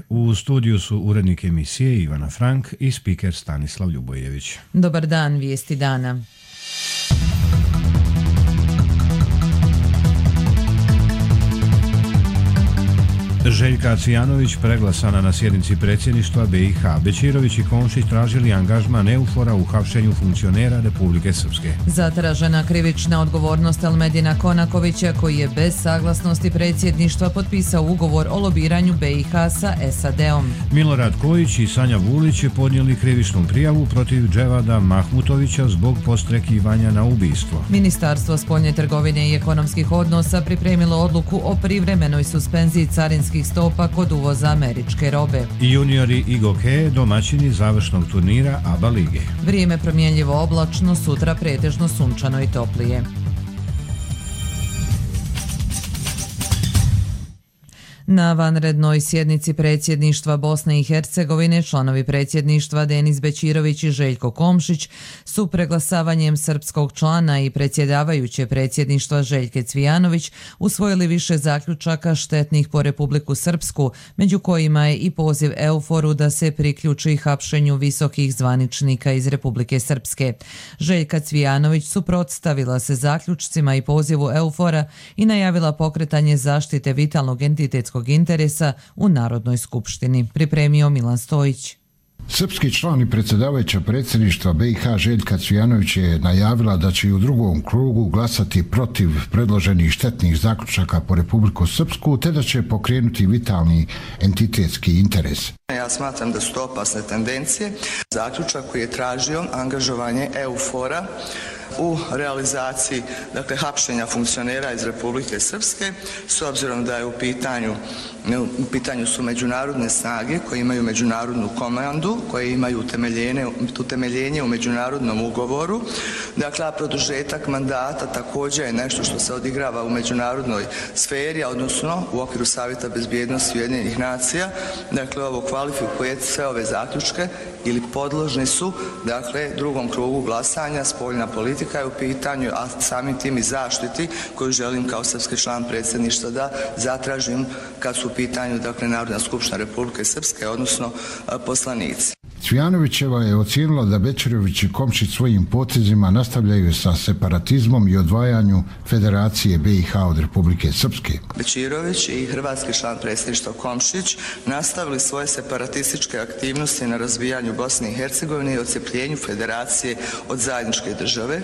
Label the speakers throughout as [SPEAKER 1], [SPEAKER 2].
[SPEAKER 1] U studiju su urednik emisije Ivana Frank i spiker Stanislav Ljubojević.
[SPEAKER 2] Dobar dan, vijesti dana.
[SPEAKER 1] Željka Cvijanović preglasana na sjednici predsjedništva BiH. Bećirović i Komšić tražili angažman EUFOR-a u hapšenju funkcionera Republike Srpske.
[SPEAKER 2] Zatražena krivična odgovornost Elmedina Konakovića, koji je bez saglasnosti predsjedništva potpisao ugovor o lobiranju BiH sa SAD-om.
[SPEAKER 1] Milorad Kojić i Sanja Vulić podnijeli krivičnu prijavu protiv Dževada Mahmutovića zbog podstrekivanja na ubistvo.
[SPEAKER 2] Ministarstvo spoljne trgovine i ekonomskih odnosa pripremilo odluku o privremenoj suspenziji carinskih stopa kod uvoza američke robe.
[SPEAKER 1] Juniori i Goke domaćini završnog turnira ABA lige.
[SPEAKER 2] Vrijeme promjenljivo oblačno, sutra pretežno sunčano i toplije. Na vanrednoj sjednici predsjedništva Bosne i Hercegovine članovi predsjedništva Denis Bećirović i Željko Komšić su preglasavanjem srpskog člana i predsjedavajuće predsjedništva Željke Cvijanović usvojili više zaključaka štetnih po Republiku Srpsku, među kojima je i poziv EUFOR-u da se priključi hapšenju visokih zvaničnika iz Republike Srpske. Željka Cvijanović suprotstavila se zaključcima i pozivu EUFOR-a i najavila pokretanje zaštite vitalnog entitetskog interesa u Narodnoj skupštini. Pripremio Milan Stojić.
[SPEAKER 3] Srpski član i predsjedavajuća predsjedništva BiH Željka Cvijanović je najavila da će i u drugom krugu glasati protiv predloženih štetnih zaključaka po Republiku Srpsku, te da će pokrenuti vitalni entitetski interes.
[SPEAKER 4] Ja smatram da su to opasne tendencije. Zaključak koji je tražio angažovanje EUFOR-a u realizaciji, hapšenja funkcionera iz Republike Srpske, s obzirom da je u pitanju su međunarodne snage koje imaju međunarodnu komandu, koje imaju utemeljenje u međunarodnom ugovoru. A produžetak mandata također je nešto što se odigrava u međunarodnoj sferi, odnosno u okviru Savjeta bezbjednosti Ujedinjenih nacija. Ovo kvalifikuje sve ove zaključke ili podložni su, drugom krugu glasanja. Spoljna politika je u pitanju, a samim tim i zaštiti koju želim kao srpski član predsjedništva da zatražim kad su u pitanju, Narodna skupština Republike Srpske, odnosno poslanici.
[SPEAKER 3] Cvijanovićeva je ocijenila da Bećirović i Komšić svojim potezima nastavljaju sa separatizmom i odvajanju Federacije BiH od Republike Srpske.
[SPEAKER 4] Bećirović i hrvatski član predsjedništva Komšić nastavili svoje separatističke aktivnosti na razvijanju Bosne i Hercegovine i odcepljenju Federacije od zajedničke države.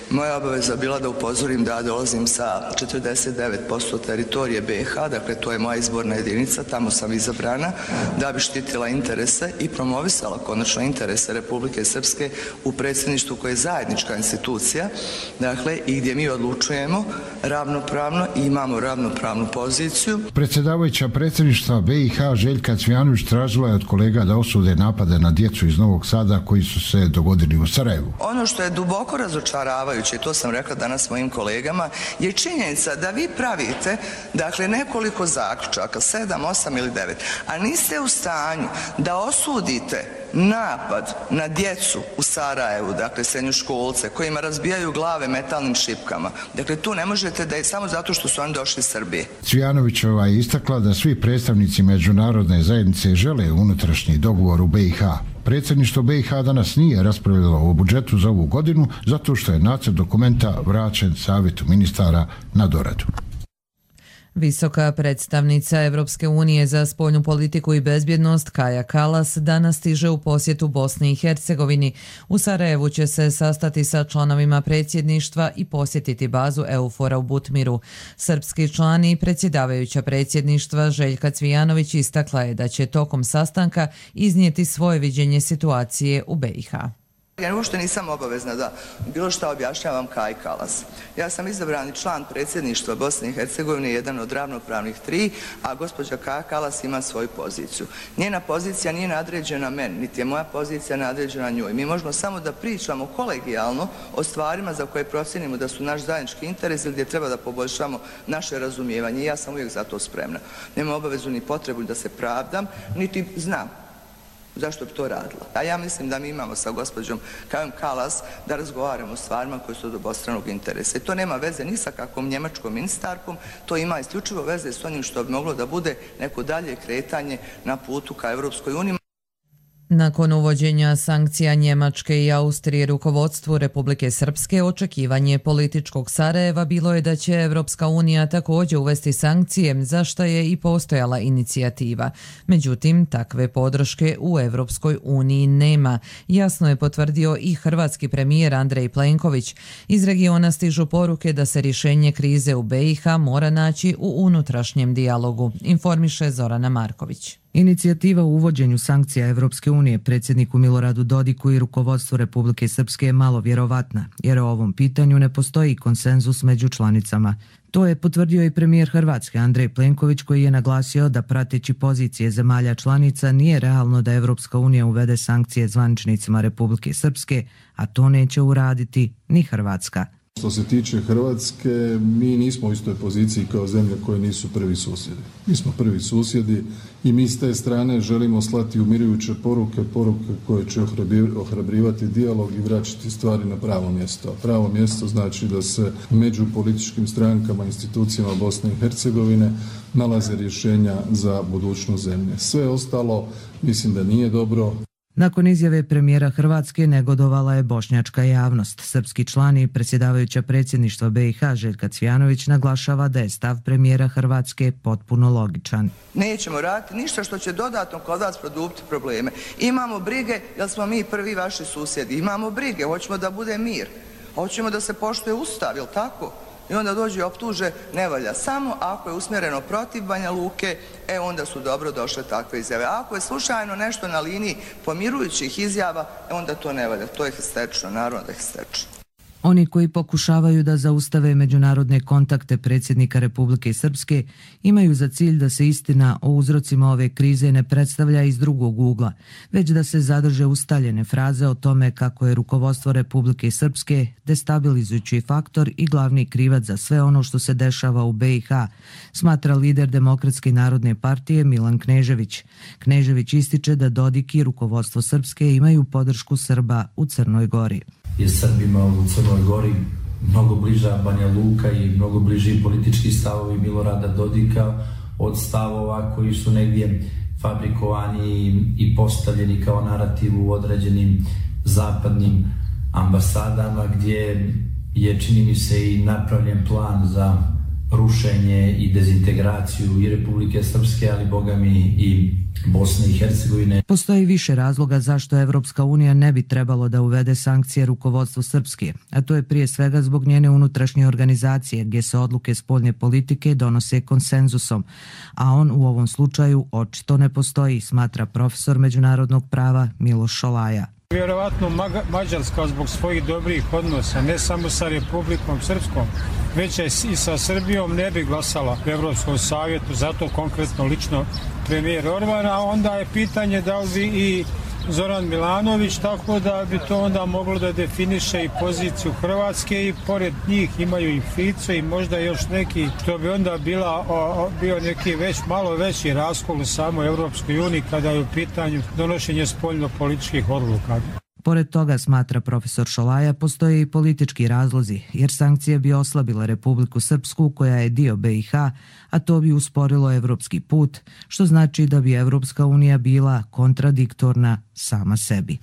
[SPEAKER 4] Moja obaveza bila da upozorim da dolazim sa 49% teritorije BiH, to je moja izborna jedinica, tamo sam izabrana, da bi štitila interese i promovisala konačno interese Republike Srpske u predsjedništvu koje je zajednička institucija, i gdje mi odlučujemo ravnopravno i imamo ravnopravnu poziciju.
[SPEAKER 3] Predsjedavajuća predsjedništva BiH Željka Cvijanović tražila je od kolega da osude napade na djecu iz Novog Sada koji su se dogodili u Sarajevu.
[SPEAKER 4] Ono što je duboko razočaravajuće, to sam rekla danas mojim kolegama, je činjenica da vi pravite, nekoliko zaključaka, 7, 8 ili 9, a niste u stanju da osudite napad na djecu u Sarajevu, srednjoškolce, kojima razbijaju glave metalnim šipkama. Tu ne možete da je samo zato što su oni došli iz Srbije.
[SPEAKER 3] Cvijanovićeva je istakla da svi predstavnici međunarodne zajednice žele unutrašnji dogovor u BiH. Predsjedništvo BiH danas nije raspravljalo o budžetu za ovu godinu zato što je nacrt dokumenta vraćen Savjetu ministara na doradu.
[SPEAKER 2] Visoka predstavnica Evropske unije za spoljnu politiku i bezbjednost Kaja Kallas danas stiže u posjetu Bosni i Hercegovini. U Sarajevu će se sastati sa članovima predsjedništva i posjetiti bazu EUFOR-a u Butmiru. Srpski član i predsjedavajuća predsjedništva Željka Cvijanović istakla je da će tokom sastanka iznijeti svoje viđenje situacije u BiH.
[SPEAKER 4] Ja uopšte nisam obavezna da bilo šta objašnjavam Kaji Kallas. Ja sam izabrani član predsjedništva Bosne i Hercegovine, jedan od ravnopravnih 3, a gospođa Kaja Kallas ima svoju poziciju. Njena pozicija nije nadređena meni, niti je moja pozicija nadređena njoj. Mi možemo samo da pričamo kolegijalno o stvarima za koje procjenimo da su naš zajednički interes ili gdje treba da poboljšamo naše razumijevanje. I ja sam uvijek za to spremna. Nema obavezu ni potrebu da se pravdam, niti znam Zašto bi to radila? A ja mislim da mi imamo sa gospođom Kajom Kalas da razgovaramo o stvarima koje su od obostranog interesa. I to nema veze ni sa kakvom njemačkom ministarkom, to ima isključivo veze s onim što bi moglo da bude neko dalje kretanje na putu ka Europskoj uniji.
[SPEAKER 2] Nakon uvođenja sankcija Njemačke i Austrije rukovodstvu Republike Srpske, očekivanje političkog Sarajeva bilo je da će Evropska unija također uvesti sankcije, za što je i postojala inicijativa. Međutim, takve podrške u Evropskoj uniji nema. Jasno je potvrdio i hrvatski premijer Andrej Plenković. Iz regiona stižu poruke da se rješenje krize u BiH mora naći u unutrašnjem dijalogu, informiše Zorana Marković.
[SPEAKER 5] Inicijativa o uvođenju sankcija Evropske unije predsjedniku Miloradu Dodiku i rukovodstvu Republike Srpske je malo vjerovatna, jer o ovom pitanju ne postoji konsenzus među članicama. To je potvrdio i premijer Hrvatske Andrej Plenković, koji je naglasio da prateći pozicije zemalja članica nije realno da Evropska unija uvede sankcije zvaničnicima Republike Srpske, a to neće uraditi ni Hrvatska.
[SPEAKER 6] Što se tiče Hrvatske, mi nismo u istoj poziciji kao zemlje koje nisu prvi susjedi. Mi smo prvi susjedi i mi s te strane želimo slati umirujuće poruke koje će ohrabrivati dijalog i vraćati stvari na pravo mjesto. A pravo mjesto znači da se među političkim strankama, institucijama Bosne i Hercegovine nalaze rješenja za budućnost zemlje. Sve ostalo mislim da nije dobro.
[SPEAKER 5] Nakon izjave premijera Hrvatske negodovala je bošnjačka javnost. Srpski član i predsjedavajuća predsjedništva BiH Željka Cvijanović naglašava da je stav premijera Hrvatske potpuno logičan.
[SPEAKER 4] Nećemo raditi ništa što će dodatno kod vas produbiti probleme. Imamo brige jer smo mi prvi vaši susjedi. Imamo brige, hoćemo da bude mir. Hoćemo da se poštuje Ustav, jel tako? I onda dođe i optuže, ne valja. Samo ako je usmjereno protiv Banja Luke, onda su dobro došle takve izjave. A ako je slučajno nešto na liniji pomirujućih izjava, onda to ne valja. To je histerično, naravno da je histerično.
[SPEAKER 5] Oni koji pokušavaju da zaustave međunarodne kontakte predsjednika Republike Srpske imaju za cilj da se istina o uzrocima ove krize ne predstavlja iz drugog ugla, već da se zadrže ustaljene fraze o tome kako je rukovodstvo Republike Srpske destabilizujući faktor i glavni krivac za sve ono što se dešava u BiH, smatra lider Demokratske narodne partije Milan Knežević. Knežević ističe da Dodik i rukovodstvo Srpske imaju podršku Srba u Crnoj Gori.
[SPEAKER 7] Je Srbima u Crnoj Gori mnogo bliža Banja Luka i mnogo bliži politički stavovi Milorada Dodika od stavova koji su negdje fabrikovani i postavljeni kao narativ u određenim zapadnim ambasadama, gdje je, čini mi se, i napravljen plan za rušenje i dezintegraciju i Republike Srpske, ali bogami i Bosne i Hercegovine.
[SPEAKER 5] Postoji više razloga zašto Evropska unija ne bi trebalo da uvede sankcije rukovodstvu Srpske, a to je prije svega zbog njene unutrašnje organizacije gdje se odluke spoljne politike donose konsenzusom, a on u ovom slučaju očito ne postoji, smatra profesor međunarodnog prava Miloš Šolaja.
[SPEAKER 8] Vjerovatno Mađarska zbog svojih dobrih odnosa, ne samo sa Republikom Srpskom, već i sa Srbijom ne bi glasala u Evropskom savjetu, zato konkretno lično premijer Orban, a onda je pitanje da li bi i Zoran Milanović, tako da bi to onda moglo da definiše i poziciju Hrvatske i pored njih imaju i Fico i možda još neki, što bi onda bio neki malo veći raskol u samoj Evropskoj uniji kada je u pitanju donošenje spoljno-političkih odluka.
[SPEAKER 5] Pored toga, smatra profesor Šolaja, postoje i politički razlozi, jer sankcije bi oslabile Republiku Srpsku koja je dio BiH, a to bi usporilo evropski put, što znači da bi Evropska unija bila kontradiktorna sama sebi.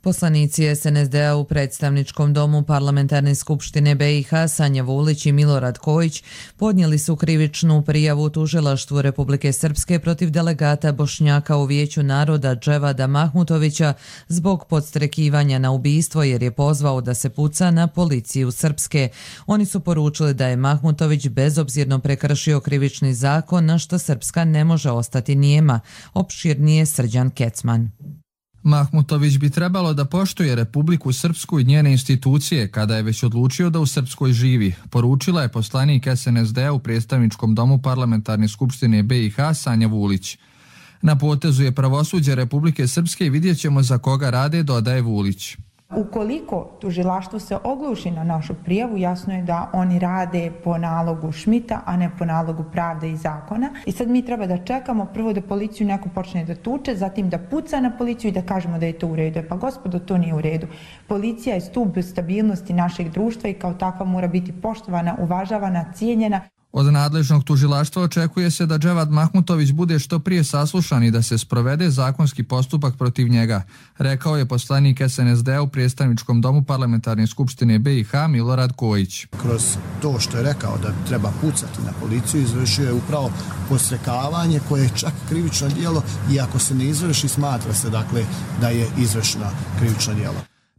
[SPEAKER 2] Poslanici SNSD-a u predstavničkom domu Parlamentarne skupštine BiH Sanja Vulić i Milorad Kojić podnijeli su krivičnu prijavu tužilaštvu Republike Srpske protiv delegata Bošnjaka u Vijeću naroda Dževada Mahmutovića zbog podstrekivanja na ubistvo jer je pozvao da se puca na policiju Srpske. Oni su poručili da je Mahmutović bezobzirno prekršio krivični zakon, na što Srpska ne može ostati nijema. Opširnije Srđan Kecman.
[SPEAKER 9] Mahmutović bi trebalo da poštuje Republiku Srpsku i njene institucije kada je već odlučio da u Srpskoj živi, poručila je poslanik SNSD-a u predstavničkom domu Parlamentarne skupštine BiH Sanja Vulić. Na potezu je pravosuđe Republike Srpske i vidjet ćemo za koga rade, dodaje Vulić.
[SPEAKER 10] Ukoliko tužilaštvo se ogluši na našu prijavu, jasno je da oni rade po nalogu Šmita, a ne po nalogu pravde i zakona. I sad mi treba da čekamo prvo da policiju neko počne da tuče, zatim da puca na policiju i da kažemo da je to u redu. Pa gospodo, to nije u redu. Policija je stup stabilnosti našeg društva i kao takva mora biti poštovana, uvažavana, cijenjena.
[SPEAKER 9] Od nadležnog tužilaštva očekuje se da Dževad Mahmutović bude što prije saslušan i da se sprovede zakonski postupak protiv njega, rekao je poslanik SNSD u predstavničkom domu Parlamentarne skupštine BiH Milorad Kojić.
[SPEAKER 11] Kroz to što je rekao da treba pucati na policiju, izvršio je upravo podstrekavanje koje je čak krivično djelo i ako se ne izvrši smatra se dakle da je izvršeno krivično djelo.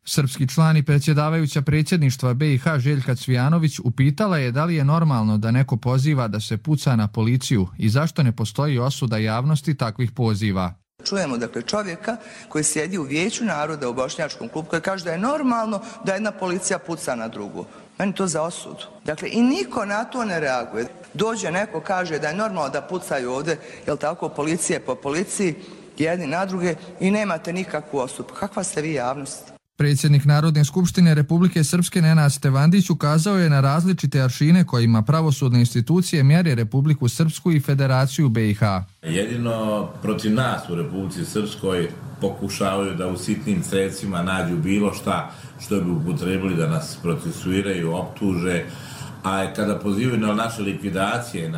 [SPEAKER 9] Srpski član i predsjedavajuća predsjedništva BiH Željka Cvijanović upitala je da li je normalno da neko poziva da se puca na policiju i zašto ne postoji osuda javnosti takvih poziva.
[SPEAKER 4] Čujemo dakle čovjeka koji sjedi u Vijeću naroda u Bošnjačkom klubu koji kaže da je normalno da jedna policija puca na drugu. Meni to za osudu. Dakle, i niko na to ne reaguje. Dođe neko, kaže da je normalno da pucaju ovdje, jel tako, policije po policiji, jedni na druge i nemate nikakvu osudu. Kakva ste vi javnost?
[SPEAKER 9] Predsjednik Narodne skupštine Republike Srpske Nenad Stevandić ukazao je na različite aršine kojima pravosudne institucije mjere Republiku Srpsku i Federaciju BiH.
[SPEAKER 12] Jedino protiv nas u Republici Srpskoj pokušavaju da u sitnim sredstvima nađu bilo šta što bi upotrebili da nas procesuiraju, optuže, a kada pozivaju na naše likvidacije,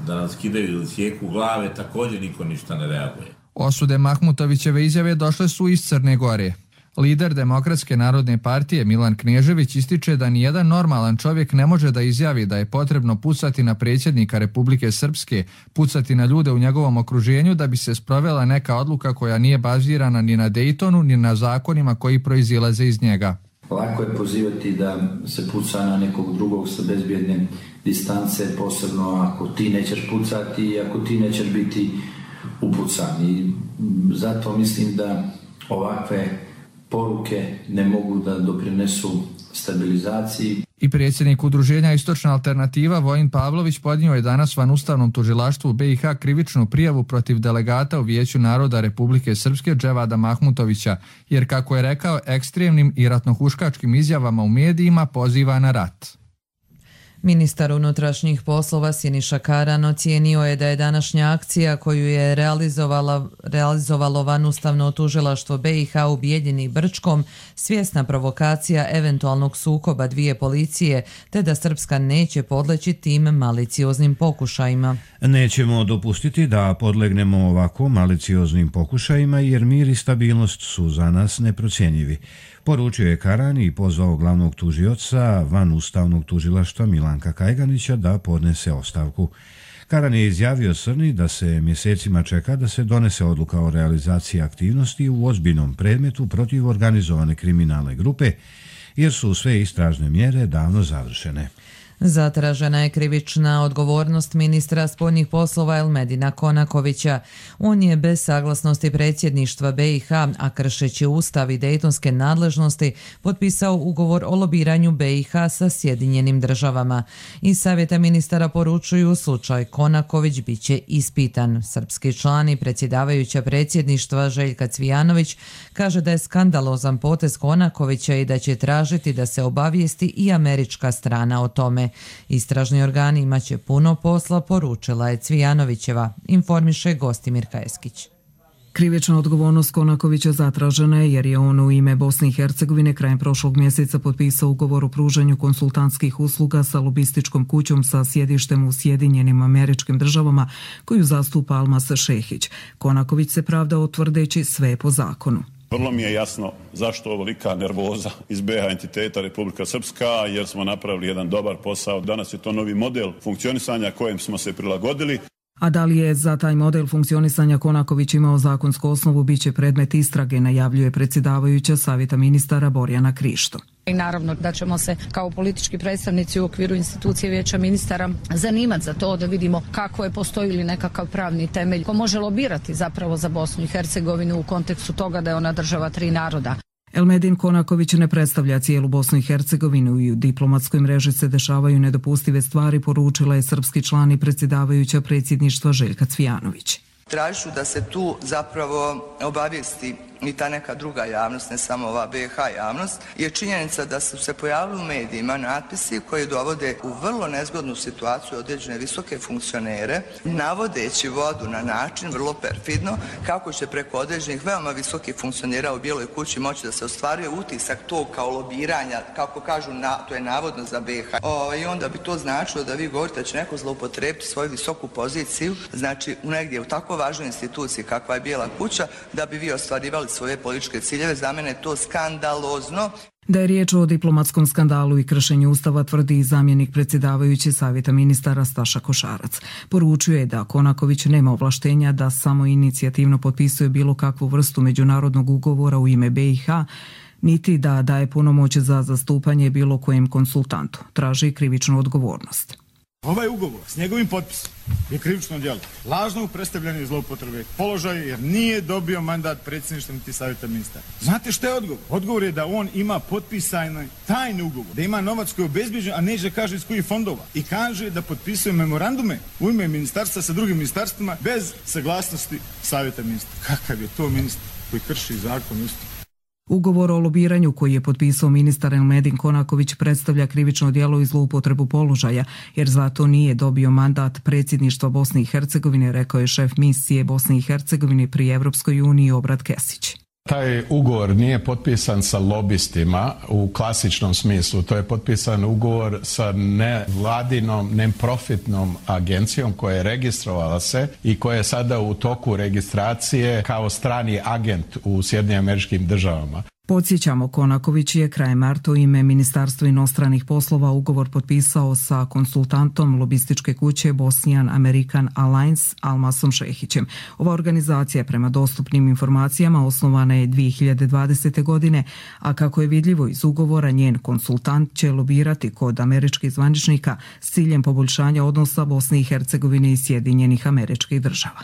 [SPEAKER 12] da nas skidaju ili sjeku glave, također niko ništa ne reaguje.
[SPEAKER 9] Osude Mahmutovićeve izjave došle su iz Crne Gore. Lider Demokratske narodne partije Milan Knežević ističe da nijedan normalan čovjek ne može da izjavi da je potrebno pucati na predsjednika Republike Srpske, pucati na ljude u njegovom okruženju da bi se sprovela neka odluka koja nije bazirana ni na Daytonu ni na zakonima koji proizilaze iz njega.
[SPEAKER 7] Lako je pozivati da se puca na nekog drugog sa bezbjedne distance, posebno ako ti nećeš pucati i ako ti nećeš biti upucan. I zato mislim da ovakve poruke ne mogu da doprinesu stabilizaciji.
[SPEAKER 9] I predsjednik udruženja Istočna alternativa Vojin Pavlović podnio je danas van Ustavnom tužilaštvu BiH krivičnu prijavu protiv delegata u Vijeću naroda Republike Srpske Dževada Mahmutovića, jer kako je rekao ekstremnim i ratnohuškačkim izjavama u medijima poziva na rat.
[SPEAKER 2] Ministar unutrašnjih poslova Siniša Karan ocijenio je da je današnja akcija koju je realizovalo vanustavno tužilaštvo BiH u Bijeljini i Brčkom svjesna provokacija eventualnog sukoba dvije policije, te da Srpska neće podleći tim malicioznim pokušajima.
[SPEAKER 1] Nećemo dopustiti da podlegnemo ovako malicioznim pokušajima jer mir i stabilnost su za nas neprocjenjivi. Poručio je Karan i pozvao glavnog tužioca van Ustavnog tužilaštva Milanka Kajganića da podnese ostavku. Karan je izjavio Crni da se mjesecima čeka da se donese odluka o realizaciji aktivnosti u ozbiljnom predmetu protiv organizovane kriminalne grupe, jer su sve istražne mjere davno završene.
[SPEAKER 2] Zatražena je krivična odgovornost ministra spoljnih poslova Elmedina Konakovića. On je bez saglasnosti predsjedništva BiH, a kršeći Ustav i dejtonske nadležnosti, potpisao ugovor o lobiranju BiH sa Sjedinjenim državama. Iz savjeta ministara poručuju slučaj Konaković bit će ispitan. Srpski član i predsjedavajuća predsjedništva Željka Cvijanović kaže da je skandalozan potez Konakovića i da će tražiti da se obavijesti i američka strana o tome. Istražni organi imaće puno posla, poručila je Cvijanovićeva, informiše Gostimir Kajeskić.
[SPEAKER 5] Krivična odgovornost Konakovića zatražena je jer je on u ime Bosne i Hercegovine krajem prošlog mjeseca potpisao ugovor o pružanju konsultantskih usluga sa lobističkom kućom sa sjedištem u Sjedinjenim Američkim Državama koju zastupa Almas Šehić. Konaković se pravdao tvrdeći sve po zakonu.
[SPEAKER 13] Vrlo mi je jasno zašto ovolika nervoza iz BiH entiteta Republika Srpska, jer smo napravili jedan dobar posao. Danas je to novi model funkcionisanja kojem smo se prilagodili.
[SPEAKER 5] A da li je za taj model funkcionisanja Konaković imao zakonsku osnovu, bit će predmet istrage, najavljuje predsjedavajuća savjeta ministara Borjana Krišto.
[SPEAKER 14] I naravno da ćemo se kao politički predstavnici u okviru institucije Vijeća ministara zanimati za to da vidimo kako je, postoji li nekakav pravni temelj ko može lobirati zapravo za Bosnu i Hercegovinu u kontekstu toga da je ona država tri naroda.
[SPEAKER 5] Elmedin Konaković ne predstavlja cijelu Bosnu i Hercegovinu i u diplomatskoj mreži se dešavaju nedopustive stvari, poručila je srpski član i predsjedavajuća predsjedništva Željka Cvijanović.
[SPEAKER 4] Tražiću da se tu zapravo obavijesti i ta neka druga javnost, ne samo ova BiH javnost, je činjenica da su se pojavili u medijima natpisi koji dovode u vrlo nezgodnu situaciju određene visoke funkcionere, navodeći vodu na način vrlo perfidno kako će preko određenih veoma visokih funkcionera u Bijeloj kući moći da se ostvaruje utisak tog kao lobiranja, kako kažu, to je navodno za BiH. I onda bi to značilo da vi govorite da će neko zloupotrijebiti svoju visoku poziciju, znači negdje u tako važnoj instituciji kakva je Bijela kuća, da bi vi ostvarivali svoje političke ciljeve. Za mene je to skandalozno.
[SPEAKER 5] Da je riječ o diplomatskom skandalu i kršenju Ustava tvrdi i zamjenik predsjedavajući Savjeta ministara Staša Košarac. Poručuje je da Konaković nema ovlaštenja da samo inicijativno potpisuje bilo kakvu vrstu međunarodnog ugovora u ime BiH, niti da daje punomoć za zastupanje bilo kojem konsultantu. Traži krivičnu odgovornost.
[SPEAKER 15] Ovaj ugovor s njegovim potpisom je krivično djelo lažnog predstavljanja i zloupotrebe položaja jer nije dobio mandat predsjedništva niti Savjeta ministara. Znate što je odgovor? Odgovor je da on ima potpisane tajne ugovor, da ima novac koji je obezbijeđen, a neće kaže iz kojih fondova. I kaže da potpisuje memorandume u ime ministarstva sa drugim ministarstvima bez saglasnosti Savjeta ministara. Kakav je to ministar koji krši zakon isto?
[SPEAKER 5] Ugovor o lobiranju koji je potpisao ministar Elmedin Konaković predstavlja krivično djelo i zloupotrebu položaja, jer zato nije dobio mandat predsjedništva Bosne i Hercegovine, rekao je šef misije Bosne i Hercegovine pri Evropskoj uniji Obrad Kesić.
[SPEAKER 16] Taj ugovor nije potpisan sa lobistima u klasičnom smislu. To je potpisan ugovor sa nevladinom, neprofitnom agencijom koja je registrovala se i koja je sada u toku registracije kao strani agent u Sjedinjenim Američkim Državama.
[SPEAKER 5] Podsjećamo, Konaković je krajem marta u ime Ministarstva inostranih poslova ugovor potpisao sa konsultantom lobističke kuće Bosnian American Alliance Almasom Šehićem. Ova organizacija prema dostupnim informacijama osnovana je 2020. godine, a kako je vidljivo iz ugovora, njen konsultant će lobirati kod američkih zvaničnika s ciljem poboljšanja odnosa Bosne i Hercegovine i Sjedinjenih Američkih Država.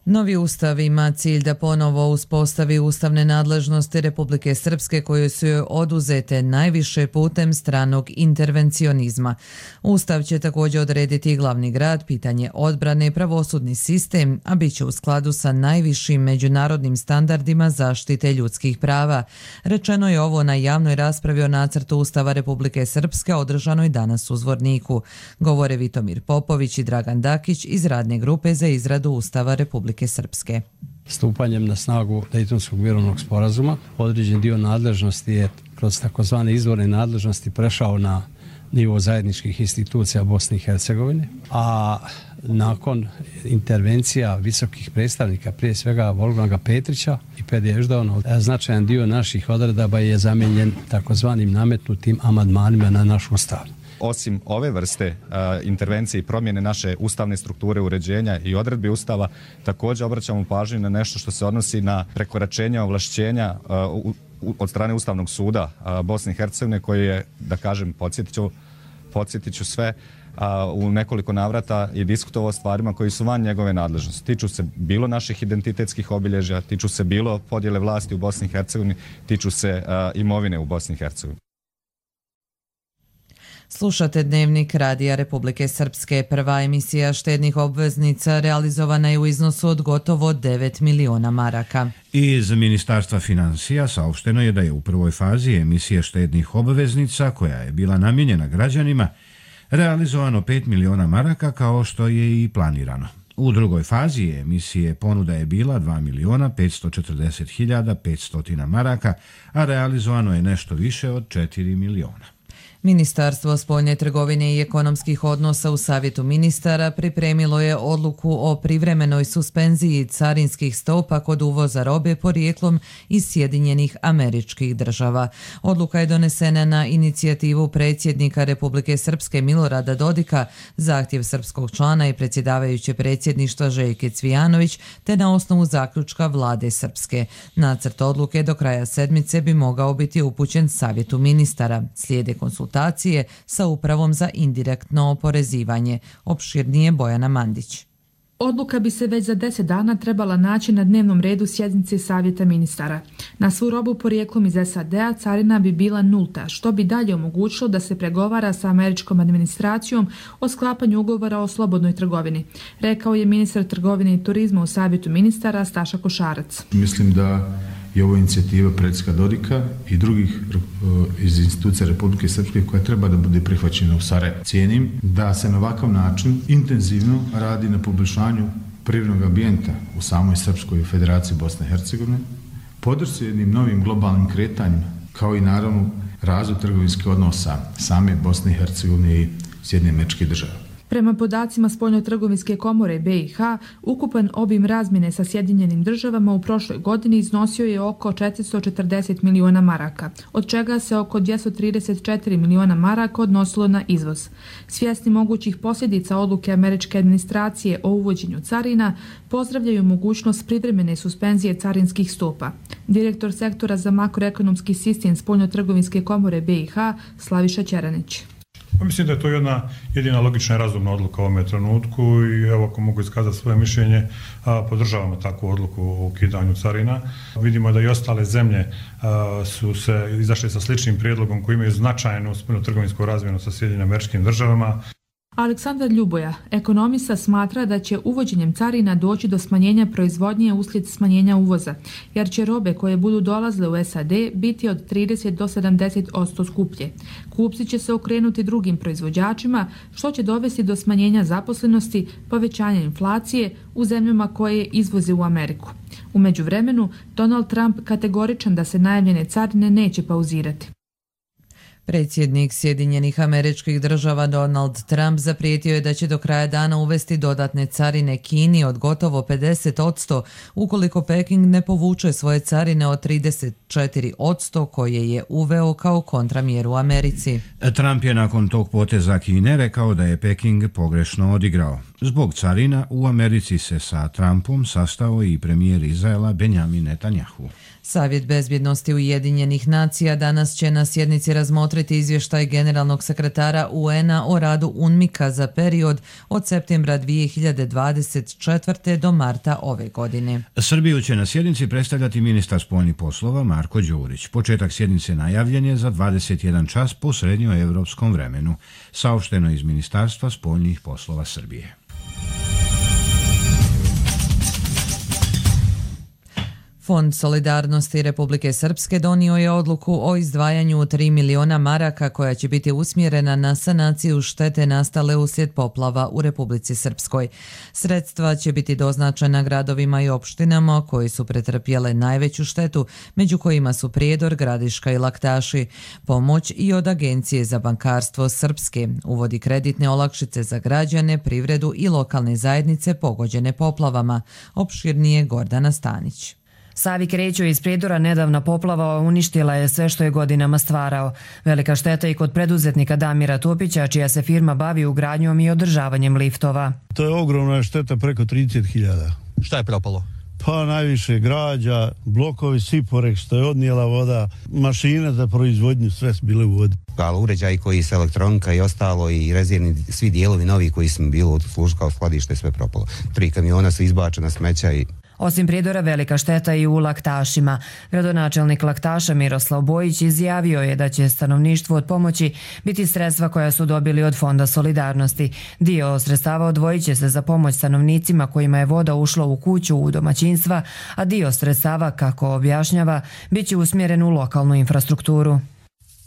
[SPEAKER 2] Novi ustav ima cilj da ponovo uspostavi ustavne nadležnosti Republike Srpske koje su joj oduzete najviše putem stranog intervencionizma. Ustav će također odrediti glavni grad, pitanje odbrane i pravosudni sistem, a bit će u skladu sa najvišim međunarodnim standardima zaštite ljudskih prava. Rečeno je ovo na javnoj raspravi o nacrtu Ustava Republike Srpske održanoj danas u Zvorniku. Govore Vitomir Popović i Dragan Dakić iz radne grupe za izradu Ustava Republike Srpske.
[SPEAKER 17] Stupanjem na snagu Dejtonskog mirovnog sporazuma određen dio nadležnosti je kroz takozvane izvorne nadležnosti prešao na nivo zajedničkih institucija Bosne i Hercegovine, a nakon intervencija visokih predstavnika, prije svega Wolfganga Petrića i Pedi Ešdaona, značajan dio naših odredaba je zamijenjen takozvanim nametnutim amandmanima na naš ustav.
[SPEAKER 18] Osim ove vrste intervencije i promjene naše ustavne strukture uređenja i odredbi ustava, također obraćamo pažnju na nešto što se odnosi na prekoračenje ovlašćenja od strane Ustavnog suda Bosne i Hercegovine, koji je, da kažem, podsjetit ću sve, u nekoliko navrata i diskutovao o stvarima koji su van njegove nadležnosti. Tiču se bilo naših identitetskih obilježja, tiču se bilo podjele vlasti u Bosni i Hercegovini, tiču se imovine u Bosni i Hercegovini.
[SPEAKER 2] Slušate Dnevnik Radija Republike Srpske. Prva emisija štednih obveznica realizovana je u iznosu od gotovo 9 miliona maraka.
[SPEAKER 1] Iz Ministarstva financija saopšteno je da je u prvoj fazi emisije štednih obveznica, koja je bila namijenjena građanima, realizovano 5 miliona maraka kao što je i planirano. U drugoj fazi emisije ponuda je bila 2 miliona 540 hiljada 500 maraka, a realizovano je nešto više od 4 miliona.
[SPEAKER 2] Ministarstvo spoljne trgovine i ekonomskih odnosa u Savjetu ministara pripremilo je odluku o privremenoj suspenziji carinskih stopa kod uvoza robe porijeklom iz Sjedinjenih Američkih Država. Odluka je donesena na inicijativu predsjednika Republike Srpske Milorada Dodika, zahtjev srpskog člana i predsjedavajuće predsjedništva Željke Cvijanović, te na osnovu zaključka vlade Srpske. Nacrt odluke do kraja sedmice bi mogao biti upućen Savjetu ministara. Slijede konsultacije sa Upravom za indirektno oporezivanje. Opširnije Bojana Mandić.
[SPEAKER 19] Odluka bi se već za 10 dana trebala naći na dnevnom redu sjednice Savjeta ministara. Na svu robu porijeklom iz SAD-a carina bi bila nulta, što bi dalje omogućilo da se pregovara sa američkom administracijom o sklapanju ugovora o slobodnoj trgovini, rekao je ministar trgovine i turizma u savjetu ministara Staša Košarac.
[SPEAKER 20] Mislim da je ovo inicijativa predsjednika Dodika i drugih iz institucija Republike Srpske koja treba da bude prihvaćena u Sarajevu. Cijenim da se na ovakav način intenzivno radi na poboljšanju prirodnog ambijenta u samoj Srpskoj federaciji Bosne i Hercegovine, podršci jednim novim globalnim kretanjima, kao i naravno razvoj trgovinskih odnosa same Bosne i Hercegovine i Sjedinjenih Američkih Država.
[SPEAKER 19] Prema podacima Spoljnotrgovinske komore BiH, ukupan obim razmjene sa Sjedinjenim Državama u prošloj godini iznosio je oko 440 miliona maraka, od čega se oko 234 miliona maraka odnosilo na izvoz. Svjesni mogućih posljedica odluke američke administracije o uvođenju carina, pozdravljaju mogućnost privremene suspenzije carinskih stopa. Direktor sektora za makroekonomski sistem Spoljnotrgovinske komore BiH, Slaviša Ćeranić.
[SPEAKER 21] Mislim da je to jedina logična i razumna odluka u ovome trenutku i evo, ako mogu iskazati svoje mišljenje, podržavamo takvu odluku o ukidanju carina. Vidimo da i ostale zemlje su se izašle sa sličnim prijedlogom koji imaju značajnu spoljnotrgovinsku razmjenu sa Sjedinjenim Američkim Državama.
[SPEAKER 19] Aleksandar Ljuboja, ekonomista, smatra da će uvođenjem carina doći do smanjenja proizvodnje uslijed smanjenja uvoza, jer će robe koje budu dolazile u SAD biti od 30 do 70% skuplje. Kupci će se okrenuti drugim proizvođačima, što će dovesti do smanjenja zaposlenosti, povećanja inflacije u zemljama koje izvoze u Ameriku. U međuvremenu, Donald Trump kategoričan da se najavljene carine neće pauzirati.
[SPEAKER 2] Predsjednik Sjedinjenih Američkih Država Donald Trump zaprijetio je da će do kraja dana uvesti dodatne carine Kini od gotovo 50% ukoliko Peking ne povuče svoje carine od 34% koje je uveo kao kontramjeru Americi.
[SPEAKER 1] Trump je nakon tog poteza Kine rekao da je Peking pogrešno odigrao. Zbog carina u Americi se sa Trumpom sastao i premijer Izraela Benjamin Netanjahu.
[SPEAKER 2] Savjet bezbjednosti Ujedinjenih nacija danas će na sjednici razmotriti izvještaj generalnog sekretara UN-a o radu UNMIK-a za period od septembra 2024. do marta ove godine.
[SPEAKER 1] Srbiju će na sjednici predstavljati ministar spoljnih poslova Marko Đurić. Početak sjednice najavljen je za 21 čas po srednjoevropskom vremenu, saopšteno iz Ministarstva spoljnih poslova Srbije.
[SPEAKER 2] Fond solidarnosti Republike Srpske donio je odluku o izdvajanju 3 miliona maraka koja će biti usmjerena na sanaciju štete nastale uslijed poplava u Republici Srpskoj. Sredstva će biti doznačena gradovima i opštinama koji su pretrpjele najveću štetu, među kojima su Prijedor, Gradiška i Laktaši. Pomoć i od Agencije za bankarstvo Srpske uvodi kreditne olakšice za građane, privredu i lokalne zajednice pogođene poplavama. Opširnije Gordana Stanić.
[SPEAKER 22] Savi Kreću iz Prijedora nedavna poplava uništila je sve što je godinama stvarao. Velika šteta i kod preduzetnika Damira Topića, čija se firma bavi ugradnjom i održavanjem liftova.
[SPEAKER 23] To je ogromna šteta, preko 30.000.
[SPEAKER 24] Šta je propalo?
[SPEAKER 23] Pa najviše građa, blokovi Siporek što je odnijela voda, mašine za proizvodnju, sve su bile u vodi.
[SPEAKER 24] Ali uređaj koji se elektronika i ostalo i rezervni, svi dijelovi novi koji smo bili u službi kao skladište, sve propalo. 3 kamiona su izbačena smeća i...
[SPEAKER 22] Osim Prijedora, velika šteta i u Laktašima. Gradonačelnik Laktaša Miroslav Bojić izjavio je da će stanovništvu od pomoći biti sredstva koja su dobili od Fonda solidarnosti. Dio sredstava odvojit će se za pomoć stanovnicima kojima je voda ušla u kuću, u domaćinstva, a dio sredstava, kako objašnjava, bit će usmjeren u lokalnu infrastrukturu.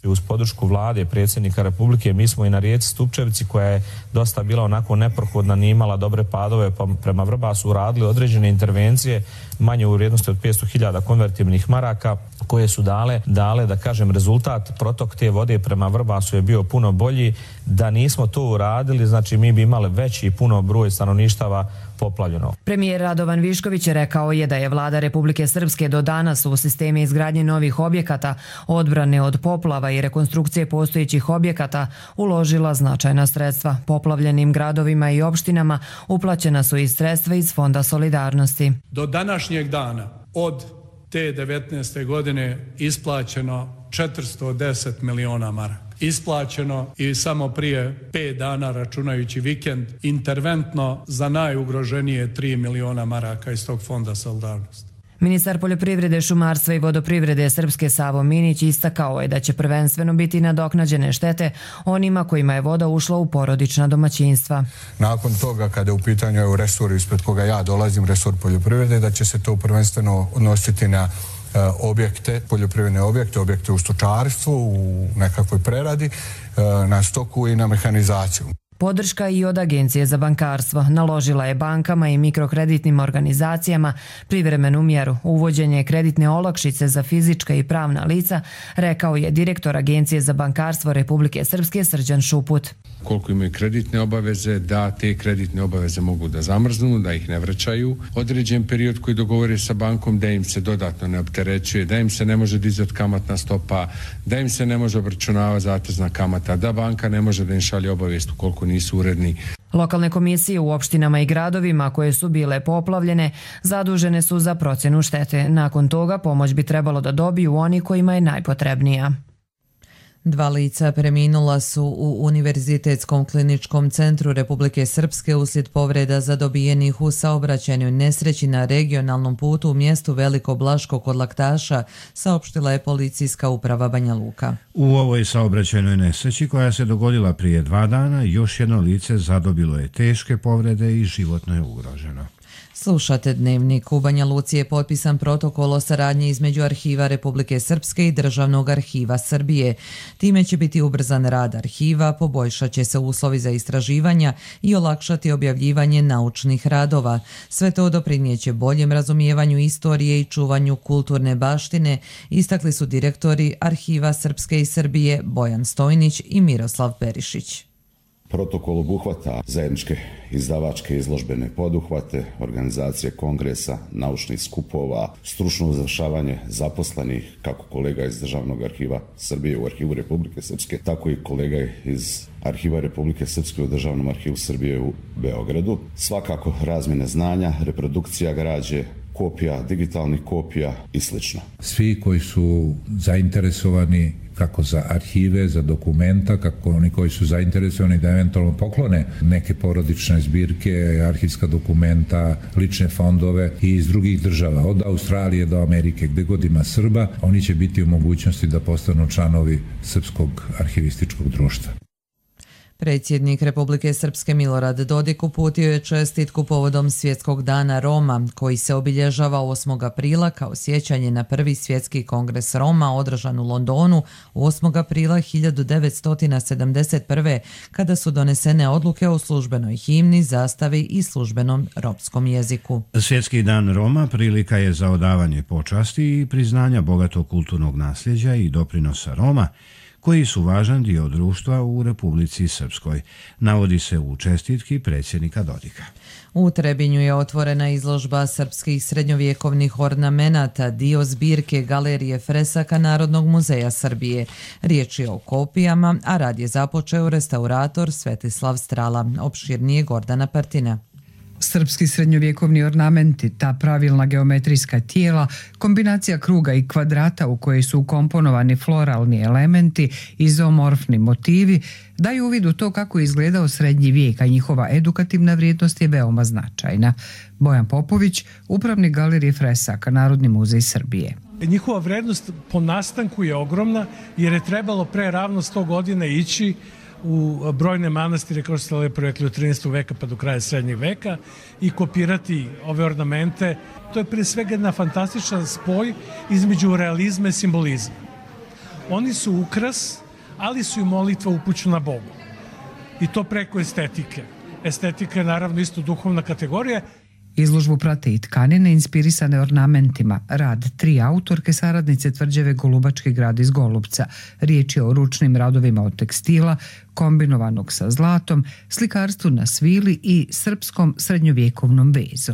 [SPEAKER 25] Uz podršku vlade, predsjednika Republike, mi smo i na rijeci Stupčevici, koja je dosta bila onako neprohodna, nije imala dobre padove, pa prema Vrbasu uradili određene intervencije manje u vrijednosti od 500.000 konvertibilnih maraka, koje su dale, da kažem, rezultat. Protok te vode prema Vrbasu je bio puno bolji. Da nismo to uradili, znači mi bi imali veći puno broj stanovništava poplavljeno.
[SPEAKER 22] Premijer Radovan Višković rekao je da je vlada Republike Srpske do danas u sisteme izgradnje novih objekata, odbrane od poplava i rekonstrukcije postojećih objekata uložila značajna sredstva. Poplavljenim gradovima i opštinama uplaćena su i sredstva iz Fonda solidarnosti.
[SPEAKER 26] Do današnjeg dana od te 19. godine isplaćeno 410 miliona maraka. Isplaćeno i samo prije 5 dana, računajući vikend, interventno za najugroženije 3 miliona maraka iz tog Fonda solidarnosti.
[SPEAKER 22] Ministar poljoprivrede, šumarstva i vodoprivrede Srpske Savo Minić istakao je da će prvenstveno biti nadoknađene štete onima kojima je voda ušla u porodična domaćinstva.
[SPEAKER 3] Nakon toga, kada je u pitanju resor ispred koga ja dolazim, resor poljoprivrede, da će se to prvenstveno odnositi na objekte, poljoprivredne objekte u stočarstvu, u nekakvoj preradi, na stoku i na mehanizaciju.
[SPEAKER 22] Podrška i od Agencije za bankarstvo naložila je bankama i mikrokreditnim organizacijama privremenu mjeru uvođenje kreditne olakšice za fizička i pravna lica, rekao je direktor Agencije za bankarstvo Republike Srpske Srđan Šuput.
[SPEAKER 6] Koliko imaju kreditne obaveze, da te kreditne obaveze mogu da zamrznu, da ih ne vraćaju. Određen period koji dogovore sa bankom da im se dodatno ne opterećuje, da im se ne može dizati kamatna stopa, da im se ne može obračunavati zatezna kamata, da banka ne može da im šalje obavijest ukoliko nisu uredni.
[SPEAKER 22] Lokalne komisije u opštinama i gradovima koje su bile poplavljene zadužene su za procjenu štete. Nakon toga pomoć bi trebalo da dobiju oni kojima je najpotrebnija.
[SPEAKER 2] 2 lica preminula su u Univerzitetskom kliničkom centru Republike Srpske uslijed povreda zadobijenih u saobraćajnoj nesreći na regionalnom putu u mjestu Veliko Blaško kod Laktaša, saopštila je policijska uprava Banja Luka.
[SPEAKER 1] U ovoj saobraćajnoj nesreći koja se dogodila prije 2 dana, još jedno lice zadobilo je teške povrede i životno je ugroženo.
[SPEAKER 2] Slušate Dnevnik. U Banja Luci je potpisan protokol o saradnji između Arhiva Republike Srpske i Državnog arhiva Srbije. Time će biti ubrzan rad arhiva, poboljšat će se uslovi za istraživanja i olakšati objavljivanje naučnih radova. Sve to doprinijeće boljem razumijevanju istorije i čuvanju kulturne baštine, istakli su direktori Arhiva Srpske i Srbije Bojan Stojnić i Miroslav Perišić.
[SPEAKER 8] Protokol obuhvata zajedničke izdavačke izložbene poduhvate, organizacije kongresa, naučnih skupova, stručno usavršavanje zaposlenih, kako kolega iz Državnog arhiva Srbije u Arhivu Republike Srpske, tako i kolega iz Arhiva Republike Srpske u Državnom arhivu Srbije u Beogradu. Svakako razmjene znanja, reprodukcija građe, kopija, digitalnih kopija i sl.
[SPEAKER 10] Svi koji su zainteresovani kako za arhive, za dokumenta, kako oni koji su zainteresovani da eventualno poklone neke porodične zbirke, arhivska dokumenta, lične fondove i iz drugih država, od Australije do Amerike, gdje god ima Srba, oni će biti u mogućnosti da postanu članovi Srpskog arhivističkog društva.
[SPEAKER 2] Predsjednik Republike Srpske Milorad Dodik uputio je čestitku povodom Svjetskog dana Roma, koji se obilježava 8. aprila kao sjećanje na prvi svjetski kongres Roma održan u Londonu 8. aprila 1971. kada su donesene odluke o službenoj himni, zastavi i službenom romskom jeziku.
[SPEAKER 1] Svjetski dan Roma prilika je za odavanje počasti i priznanja bogatog kulturnog nasljeđa i doprinosa Roma, koji su važan dio društva u Republici Srpskoj, navodi se u čestitki predsjednika Dodika.
[SPEAKER 2] U Trebinju je otvorena izložba srpskih srednjovjekovnih ornamenata, dio zbirke Galerije fresaka Narodnog muzeja Srbije. Riječ je o kopijama, a rad je započeo restaurator Svetislav Strala. Opširnije Gordana Partina.
[SPEAKER 11] Srpski srednjovjekovni ornamenti, ta pravilna geometrijska tijela, kombinacija kruga i kvadrata u koje su ukomponovani floralni elementi i zoomorfni motivi, daju uvid u to kako je izgledao srednji vijek, a njihova edukativna vrijednost je veoma značajna. Bojan Popović, upravnik Galerije fresaka Narodni muzej Srbije.
[SPEAKER 12] Njihova vrednost po nastanku je ogromna jer je trebalo pre ravno 100 godina ići u brojne manastire, kao što ste lepo rekli, od 13. veka pa do kraja srednjeg veka i kopirati ove ornamente. To je prije svega jedna fantastičan spoj između realizma i simbolizma. Oni su ukras, ali su i molitva upućena Bogu. I to preko estetike. Estetika je naravno isto duhovna kategorija.
[SPEAKER 11] Izložbu prate i tkanine inspirisane ornamentima, rad 3 autorke saradnice tvrđave Golubački grad iz Golubca. Riječ je o ručnim radovima od tekstila, kombinovanog sa zlatom, slikarstvu na svili i srpskom srednjovjekovnom vezu.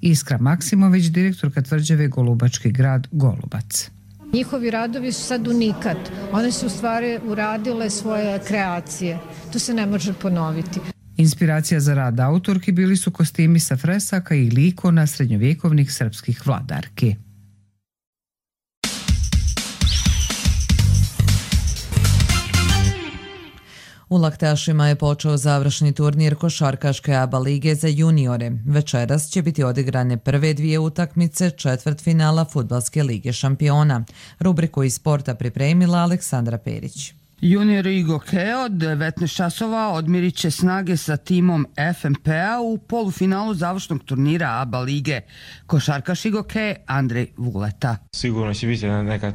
[SPEAKER 11] Iskra Maksimović, direktorka tvrđave Golubački grad Golubac.
[SPEAKER 27] Njihovi radovi su sad unikat. One su u stvari uradile svoje kreacije. To se ne može ponoviti.
[SPEAKER 11] Inspiracija za rad autorki bili su kostimi sa fresaka i ikona srednjovjekovnih srpskih vladarki.
[SPEAKER 2] U Laktašima je počeo završni turnir košarkaške ABA lige za juniore. Večeras će biti odigrane prve dvije utakmice četvrtfinala Fudbalske lige šampiona. Rubriku iz sporta pripremila Aleksandra Perić.
[SPEAKER 4] Juniori Igoke od 19 časova odmirit će snage sa timom FNP-a u polufinalu završnog turnira ABA lige. Košarkaš Igoke Andrej Vuleta.
[SPEAKER 7] Sigurno će biti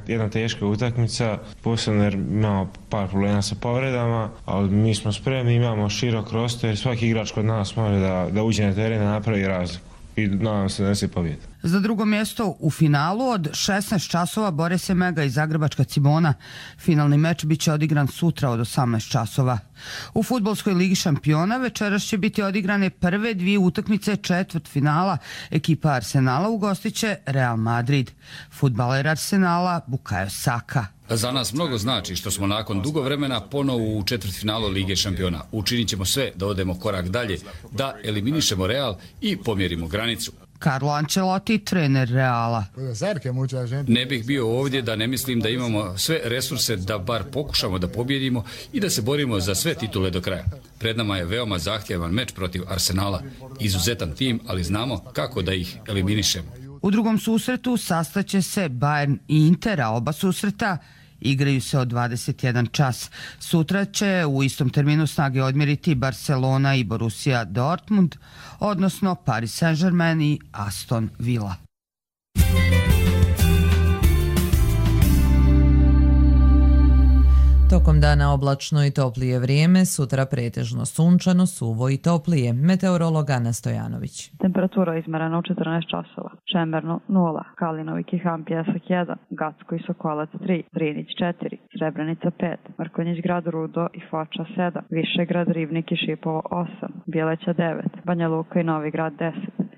[SPEAKER 7] jedna teška utakmica, posebno jer imamo par problema sa povredama, ali mi smo spremni, imamo širok roster, svaki igrač kod nas može da uđe na teren, da napravi razliku i nadam se da se pobjede.
[SPEAKER 4] Za drugo mjesto u finalu od 16 časova bore se Mega i Zagrebačka Cibona. Finalni meč biće odigran sutra od 18 časova. U Fudbalskoj ligi šampiona večeras će biti odigrane prve dvije utakmice četvrtfinala. Ekipa Arsenala ugostiće Real Madrid. Fudbaler Arsenala Bukayo Saka.
[SPEAKER 9] Za nas mnogo znači što smo nakon dugo vremena ponovo u četvrtfinalu Lige šampiona. Učinit ćemo sve da odemo korak dalje, da eliminišemo Real i pomjerimo granicu.
[SPEAKER 4] Carlo Ancelotti, trener Reala.
[SPEAKER 9] Ne bih bio ovdje da ne mislim da imamo sve resurse da bar pokušamo da pobjedimo i da se borimo za sve titule do kraja. Pred nama je veoma zahtjevan meč protiv Arsenala. Izuzetan tim, ali znamo kako da ih eliminišemo.
[SPEAKER 4] U drugom susretu sastaće se Bayern i Inter, a oba susreta igraju se od 21 čas. Sutra će u istom terminu snage odmjeriti Barcelona i Borussia Dortmund, odnosno Paris Saint-Germain i Aston Villa.
[SPEAKER 2] Tokom dana oblačno i toplije vrijeme, sutra pretežno sunčano, suvo i toplije. Meteorolog Ana Stojanović.
[SPEAKER 13] Temperatura izmerena u 14 časova. Čemerno 0, Kalinović i Ham Pjesak 1, Gacko i Sokolac 3, Drinić 4, Srebrenica 5, Mrkonjić grad Rudo i Foča 7, Višegrad, Rivnik i Šipovo 8, Bjeleća 9, Banja Luka i Novi Grad 10,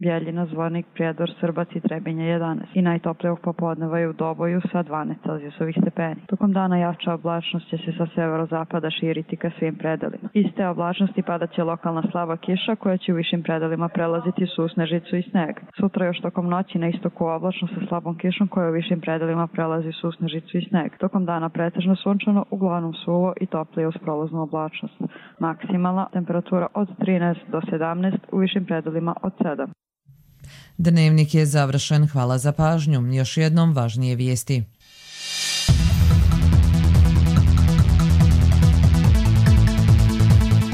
[SPEAKER 13] Bjeljina, Zvornik, Prijedor, Srbac i Trebinje 11 i najtoplijog popodneva je u Doboju sa 12 celzijusovih stepeni. Tokom dana jača oblačnost će se sa severozapada širiti ka svim predelima. Iz te oblačnosti padaće lokalna slaba kiša koja će u višim predelima prelaziti susnežicu i sneg. Sutra još tokom noći na istoku oblačno sa slabom kišom koja u višim predelima prelazi susnežicu i sneg. Tokom dana pretežno sunčano, uglavnom suvo i toplije uz prolaznu oblačnost. Maksimalna temperatura od 13 do 17, u višim predelima od 7.
[SPEAKER 2] Dnevnik je završen. Hvala za pažnju. Još jednom važnije vijesti.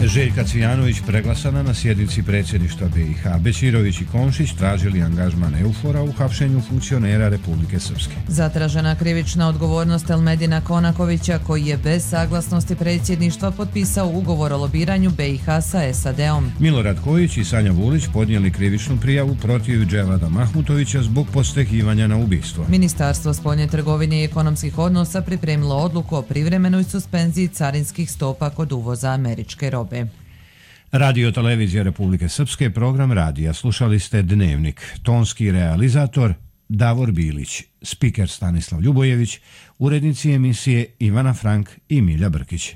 [SPEAKER 1] Željka Cvijanović preglasana na sjednici predsjedništva BiH. Bećirović i Komšić tražili angažman EUFOR-a u hapšenju funkcionera Republike Srpske.
[SPEAKER 2] Zatražena krivična odgovornost Elmedina Konakovića koji je bez saglasnosti predsjedništva potpisao ugovor o lobiranju BiH sa SAD-om.
[SPEAKER 1] Milorad Kojić i Sanja Vulić podnijeli krivičnu prijavu protiv Dževada Mahmutovića zbog postekivanja na ubistvo.
[SPEAKER 2] Ministarstvo spoljne trgovine i ekonomskih odnosa pripremilo odluku o privremenoj suspenziji carinskih stopa kod uvoza američke robe.
[SPEAKER 1] Radio Televizija Republike Srpske, program radija. Slušali ste Dnevnik. Tonski realizator Davor Bilić, spiker Stanislav Ljubojević, urednici emisije Ivana Frank i Milja Brkić.